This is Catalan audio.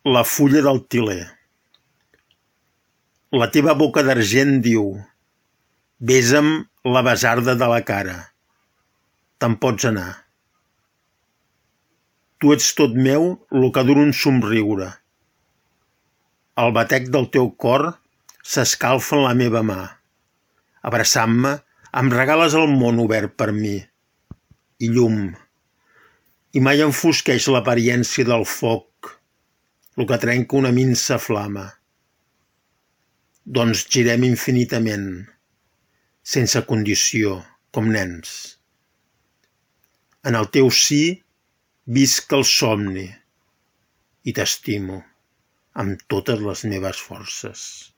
La fulla del tiler. La teva boca d'argent diu: besa'm la basarda de la cara. Te'n pots anar. Tu ets tot meu lo que dura un somriure. El batec del teu cor s'escalfa en la meva mà. Abraçant-me, em regales el món obert per mi. I llum. I mai enfosqueix l'apariència del foc, lo que trenca una minsa flama. Doncs girem infinitament, sense condició, com nens. En el teu sí visc el somni i t'estimo amb totes les meves forces.